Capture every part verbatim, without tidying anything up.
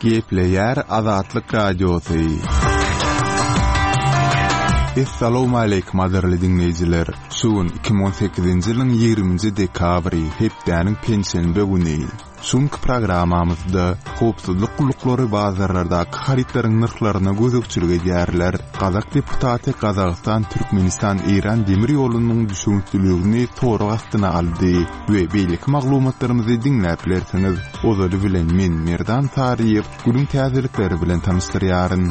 Gepleýär Azatlyk Radiosy. Essalawmaleýkim gadyrly diňleýjiler! Şu gün iki müň on sekizinji ýylyň ýigriminji dekabry, hepdäniň penşenbe güni. Şu günki programmamyzda howpsuzlyk gulluklary bazarlardaky harytlaryň nyrhlaryna gözegçilik edýärler. Gazak deputaty Gazagystan-Türkmenistan-Eýran demir ýolunyň düşewüntliligini sorag astyna aldy we beýleki maglumatlarymyzy diňläp bilersiňiz. Ozaly bilen men Merdan Saryýew günüň täzelikleri bilen tanyşdyrýaryn.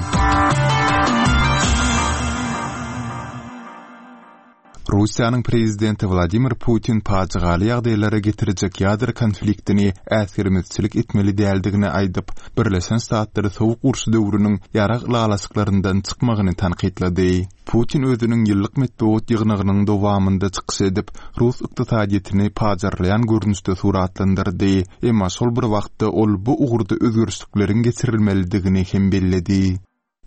Russiýanyň prezidenti Wladimir Putin pajygaly ýagdaýlara getirjek ýadro konfliktini äsgermezçilik etmeli däldigini aýdyp, Birleşen Ştatlary Sowuk uruş döwrüniň ýarag ylalaşyklaryndan çykmagyny tankytlady. Putin özüniň ýyllyk metbugat ýygnagynyň dowamynda çykyş edip, rus ykdysadyýetini pajarlaýan görnüşde suratlandyrdy, emma şol bir wagtda ol bu ugurda özgerişlikleriň geçirilmelidigini hem belledi.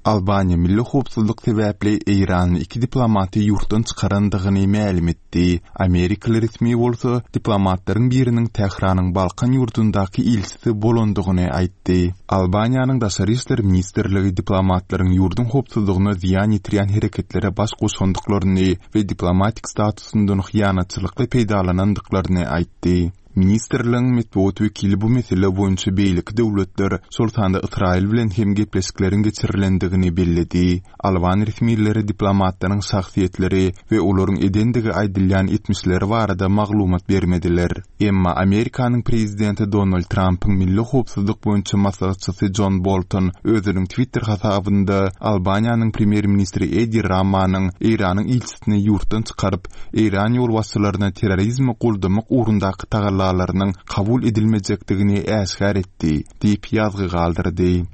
Albaniýa milli howpsuzlyk sebäpli eýranly iki diplomaty ýurtdan çykarandygyny mälim etdi. Amerikaly resmi bolsa diplomatlaryň biriniň Tähranyň Balkan ýurdundaky ilçisi bolandygyny aýtdy. Albaniýanyň Daşary işler ministrligi diplomatlaryň ýurduň howpsuzlygyna zyýan ýetirýän hereketlere baş goşandyklaryny we diplomatik statusyndan hyýanatçylykly peýdalanandyklaryny aýtdy. Ministrligiň metbugat wekili bu mesele boýunça beýleki döwletler, şol sanda Ysraýyl bilen hem gepleşikleriň geçirilendigini belledi. Alban resmileri diplomatlaryň şahsyýetleri we olaryň edendigi aýdylýan etmişleri barada maglumat bermediler. Emma Amerikanyň prezidenti Donald Trampyň milli howpsuzlyk boýunça maslahatçysy Jon Bolton özüniň Twitter hasabynda Albaniýanyň premýer-ministri Edi Ramanyň Eýranyň ilçisini ýurtdan çykaryp, Eýran ýolbaşçylaryna terrorizmi goldamak ugrundaky tagallalarynyň kabul edilmejekdigini äşgär etdi diýip ýazgy galdyrdy.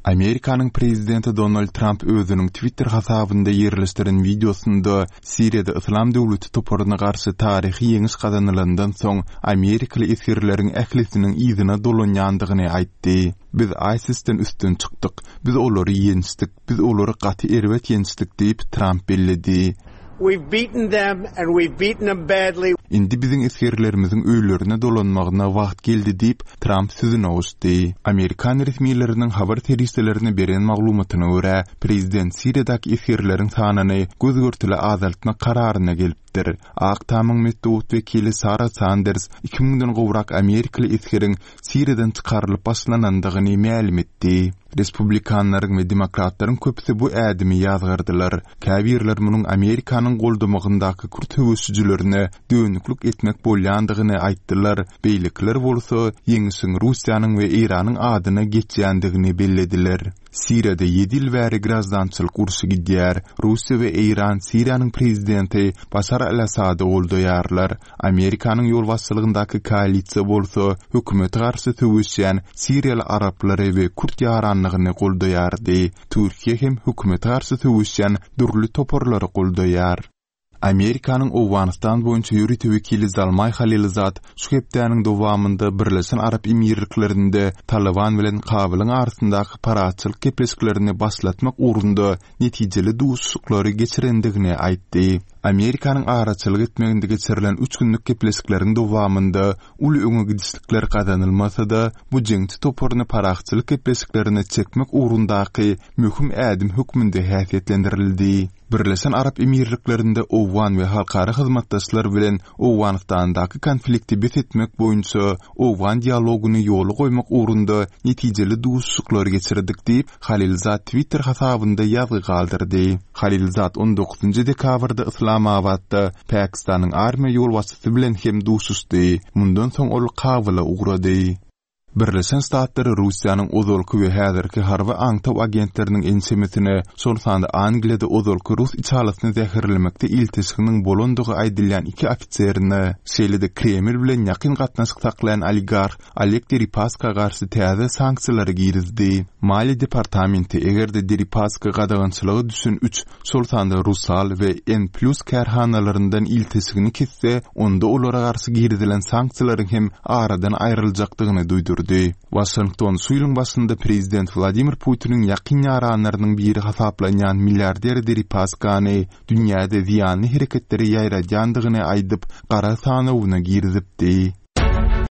Amerikanyň prezidenti Donald Tramp özüniň Twitter hasabynda ýerleşdiren wideosynda Siriýada Yslam döwleti toparyna garşy taryhy ýeňiş gazanylandan soň amerikaly esgerleriň ählisiniň yzyna dolanýandygyny aýtdy. Biz ISIS-den üstün çykdyk. Biz olary ýençdik. Biz olary gaty erbet ýençdik diýip, Tramp belledi. We've beaten them and we've beaten them badly. Indi biziň esgerlerimiziň öýlerine dolanmagyna wagt geldi diýip, Tramp sözüne goşdy. Amerikan resmileriniň habar serişdelerine beren maglumatyna görä, prezident Siriýadaky esgerleriň sanyny göz-görtele azaltmak kararyna gelipdir. Ak Tamyň metbugat wekili Sara Sanders iki müňden gowrak amerikaly esgeriň Siriýadan çykarylyp başlanandygyny mälim etdi. Respublikanlaryň we demokratlaryň köpüsi bu ädimi ýazgardylar. Käbirler munuň Amerikanyň goldamagyndaky kürt söweşijilerine dönüklik etmek bolýandygyny aýtdylar, beýlekiler bolsa ýeňişiň Russiýanyň we Eýranyň adyna geçýändigini bellediler. Siriýada ýedi ýyl bäri graždançylyk urşy gidýär. Russiýa we Eýran Siriýanyň prezidenti Başar al-Assady goldaýarlar. Amerikanyň ýolbaşçylygyndaky koalisiýa bolsa hökümete garşy söweşýän siriýaly araplary we kürt ýaranlygyny goldaýardy. Türkiýe hem hökümete garşy söweşýän dürli toparlary goldaýar. Amerikanyň Owganystan boýunça ýörite wekili Zalmaý Halilzad şu hepdäniň dowamynda Birleşen Arap Emirliklerinde Talyban bilen Kabulyň arasyndaky parahatçylyk gepleşiklerini başlatmak ugrunda netijeli duşuşyklary geçirendigini aýtdy. Amerikanyň araçylyk etmeginde geçirilen üç günlük gepleşikleriň dowamynda uly öňe gidişlikler gazanylmasa-da, bu jeňçi toparyny parahatçylyk gepleşiklerine çekmek ugrundaky möhüm ädim hökmünde häsiýetlendirildi. Birleşen Arap Emirliklerinde owgan we halkara hyzmatdaşlar bilen Owganystandaky konflikti bes etmek boýunça owgan dialogyny ýola goýmak ugrunda netijeli duşuşyklar geçirdik diýip, Halilzad Twitter hasabynda ýazgy galdyrdy. Halilzad on dokuzynjy dekabrda Yslamabatda Pakistanyň armiýa ýolbaşçysy bilen hem duşuşdy. Mundan soň ol Kabula ugrady. Birleşen Ştatlar Russiýanyň ozalky we häzirki harby aňtaw agentleriniň ençemesine, şol sanda Angliýada ozalky rus içalysyny zäherlemekde ilteşiginiň bolandygy aýdylýan iki ofiserine, şeýle-de Kreml bilen ýakyn gatnaşyk saklaýan oligarh Oleg Deripaska garşy täze sanksiýalary girizdi. Maliýe departamenti eger-de Deripaska gadagançylyga düşen üç, şol sanda Rusal we N Plus kärhanalaryndan ilteşigini kesse, onda olara garşy girizilen sanksiýalaryň hem aradan aýryljakdygyny duýdurdy. Waşington şu ýylyň başynda prezident Wladimir Putiniň ýakyn ýaranlarynyň biri hasaplanýan milliarder Deripaskany dünýäde zyýanly hereketleri ýaýradýandygyny aýdyp, gara sanawyna girizipdi.